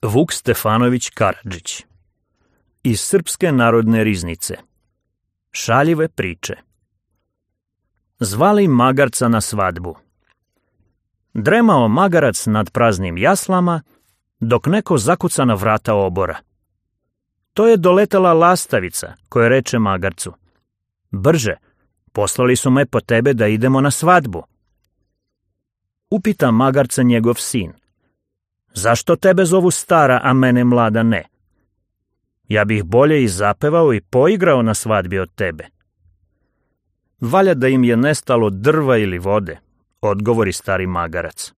Vuk Stefanović Karadžić. Iz Srpske narodne riznice. Šaljive priče. Zvali magarca na svadbu. Dremao magarac nad praznim jaslama, dok neko zakuca na vrata obora. To je doletela lastavica, koja reče magarcu: "Brže, poslali su me po tebe da idemo na svadbu." Upita magarca njegov sin: "Zašto tebe zovu stara, a mene mlada ne? Ja bih bolje i zapevao i poigrao na svadbi od tebe." "Valja da im je nestalo drva ili vode," odgovori stari magarac.